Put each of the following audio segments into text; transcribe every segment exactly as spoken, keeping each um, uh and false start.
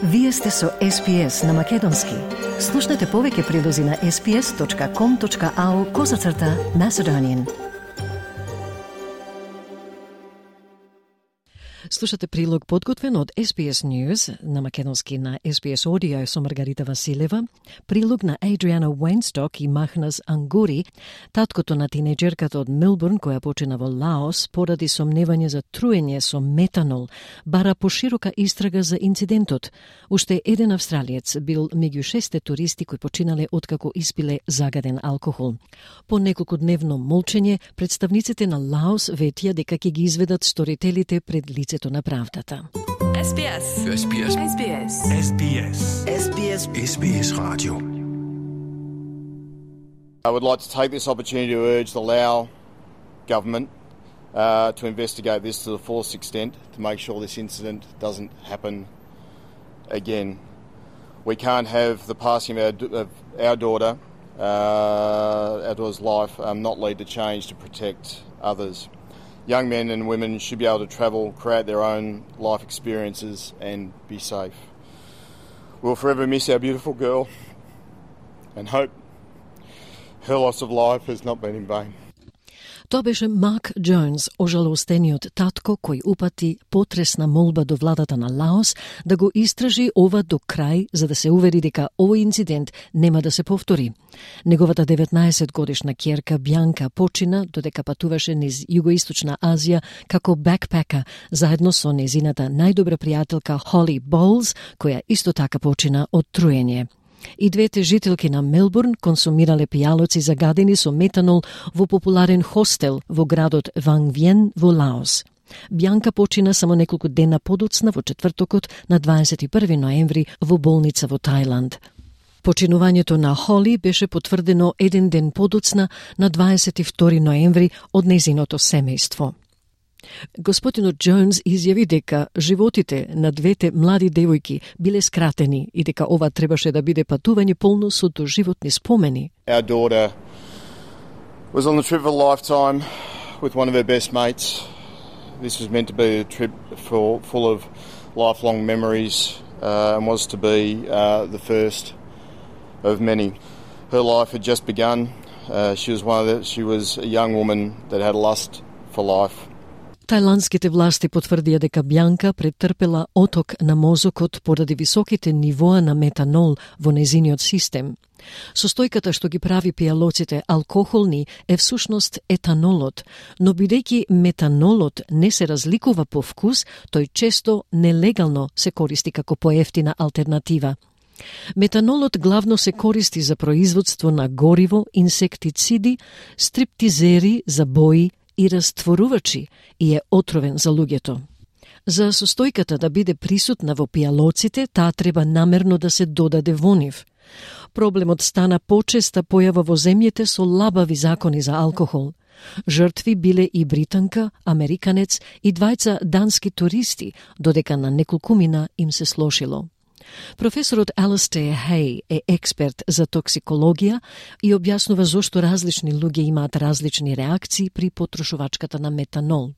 Вие сте со Ес Би Ес на Македонски. Слушнете повеќе прилози на ес би ес точка ком точка ау козацрта Macedonian. Слушате прилог подготвен од Ес Би Ес News на Македонски на Ес Би Ес Audio со Маргарита Василева, прилог на Адриана Уейнсток и Махнас Ангури, таткото на тинеџерката од Мелбурн која почина во Лаос поради сомневање за труење со метанол, бара поширока истрага за инцидентот. Уште еден австралиец бил меѓу шесте туристи кои починале откако испиле загаден алкохол. По неколкудневно молчење, представниците на Лаос ветија дека ќе ги изведат сторителите пред лице на правдата. Ес Би Ес. Ес Би Ес. Ес Би Ес. Ес Би Ес. Ес Би Ес. Ес Би Ес Radio. I would like to take this opportunity to urge the Lao government uh, to investigate this to the fullest extent to make sure this incident doesn't happen again. We can't have the passing of our, of our daughter, uh, our daughter's life, um, not lead to change to protect others. Young men and women should be able to travel, create their own life experiences and be safe. We'll forever miss our beautiful girl and hope her loss of life has not been in vain. Тоа беше Мак Джонс, ожалостениот татко кој упати потресна молба до владата на Лаос да го истражи ова до крај за да се увери дека овој инцидент нема да се повтори. Неговата деветнаесет годишна ќерка Бјанка почина додека патуваше низ Југоисточна Азија како бекпека заедно со незината најдобра пријателка Холи Боулс, која исто така почина од труење. И двете жителки на Мелбурн консумирале пијалоци загадени со метанол во популарен хостел во градот Ван Виен во Лаос. Бјанка почина само неколку дена подоцна во четвртокот на дваесет и први ноември во болница во Тајланд. Починувањето на Холи беше потврдено еден ден подоцна на дваесет и втори ноември од незиното семејство. Господинот Джонс изјави дека животите на двете млади девојки биле скратени и дека ова требаше да биде патување полно со доживотни спомени. Our daughter was on the trip of a lifetime with one of her best mates. This was meant to be a trip for, full of lifelong memories uh, and was to be uh, the first of many. Her life had just begun. Uh, she was one of the, she was a young woman that had a lust for life. Тајландските власти потврдија дека Бјанка претрпела оток на мозокот поради високите нивоа на метанол во незиниот систем. Состојката што ги прави пијалоците алкохолни е всушност етанолот, но бидејќи метанолот не се разликува по вкус, тој често нелегално се користи како поевтина алтернатива. Метанолот главно се користи за производство на гориво, инсектициди, стриптизери за бои и растворувачи и е отровен за луѓето. За состојката да биде присутна во пијалоците, таа треба намерно да се додаде во нив. Проблемот стана почеста појава во земјите со лабави закони за алкохол. Жртви биле и британка, американец и двајца дански туристи, додека на неколкумина им се слошило. Професорот Алистер Хей е експерт за токсикологија и објаснува зошто различни луѓе имаат различни реакции при потрошувачката на метанол.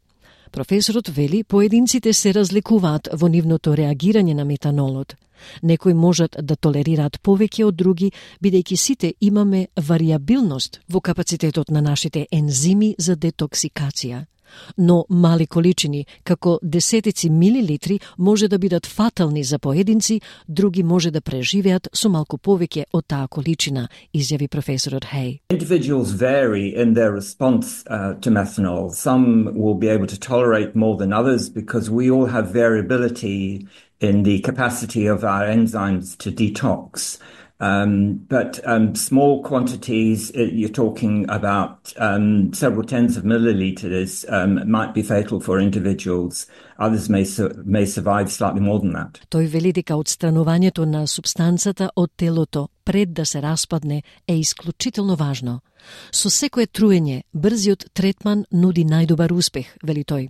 Професорот вели поединците се разликуваат во нивното реагирање на метанолот. Некои можат да толерираат повеќе од други, бидејќи сите имаме варијабилност во капацитетот на нашите ензими за детоксикација. Но мали количини, како десетици милилитри, може да бидат фатални за поединци, други може да преживеат со малку повеќе од таа количина, изјави професорот Хей. Individuals vary in their response uh, to methanol. Some will be able to tolerate more than others because we all have variability in the capacity of our enzymes to detox. Um, but um, small quantities, you're talking about um, several tens of milliliters, um, might be fatal for individuals. Others may, su- may survive slightly more than that. Тој вели дека отстранувањето на супстанцата од телото пред да се распадне е исклучително важно. Со секое труење, брзиот третман нуди најдобар успех, вели тој.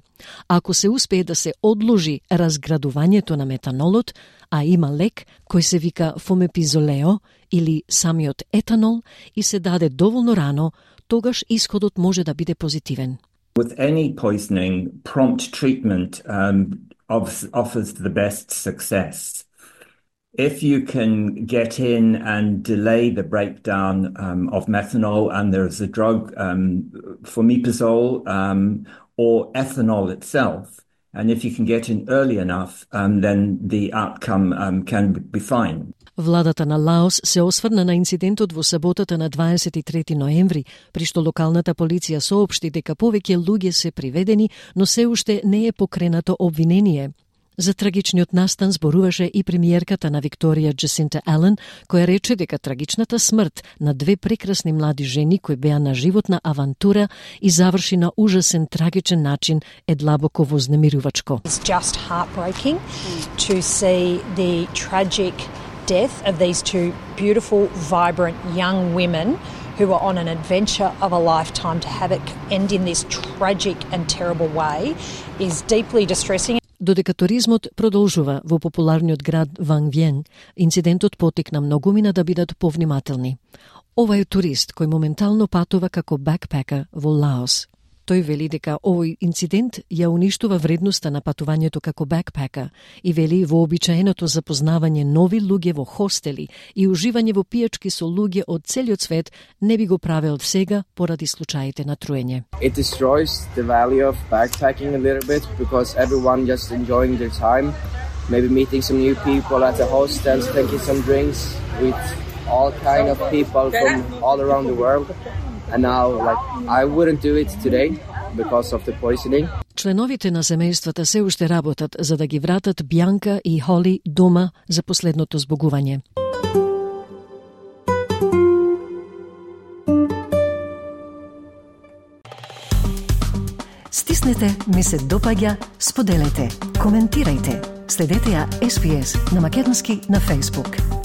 Ако се успее да се одложи разградувањето на метанолот, а има лек кој се вика фомепизолео или самиот етанол и се даде доволно рано, тогаш исходот може да биде позитивен. With any poisoning, prompt treatment um, offers the best success. If you can get in and delay the breakdown um, of methanol, and there's a drug, um, fomepizole, um, or ethanol itself, and if you can get in early enough, um, then the outcome um, can be fine. Владата на Лаос се осврна на инцидентот во саботата на дваесет и трети ноември, при што локалната полиција соопшти дека повеќе луѓе се приведени, но се уште не е покренато обвинение. За трагичниот настан зборуваше и премиерката на Викторија Джасинта Ален, која рече дека трагичната смрт на две прекрасни млади жени кои беа на животна авантура и заврши на ужасен трагичен начин е длабоко вознемирувачко. It's just heartbreaking to see the tragic death of these two beautiful, vibrant young women who were on an adventure of a lifetime. To have it end in this tragic and terrible way is deeply distressing. Додека туризмот продолжува во популарниот град Ван Виен, инцидентот потикна многумина да бидат повнимателни. Ова е турист кој моментално патува како бакпека во Лаос. Тој вели дека овој инцидент ја уништува вредноста на патувањето како бакпека и вели вообичаеното запознавање нови луѓе во хостели и уживање во пијачки со луѓе од целиот свет не би го правел сега поради случаите на труење. It destroys the value of backpacking a little bit because everyone just enjoying their time, maybe meeting some new people at the hostels, taking some drinks with all kind of people from all around the world. And now, like, I wouldn't do it today because of the poisoning. Членовите на семејствата се уште работат за да ги вратат Бјанка и Холи дома за последното збогување. Стиснете, ми се допаѓа, споделете, коментирајте. Следете ја Ес Би Ес на македонски на Facebook.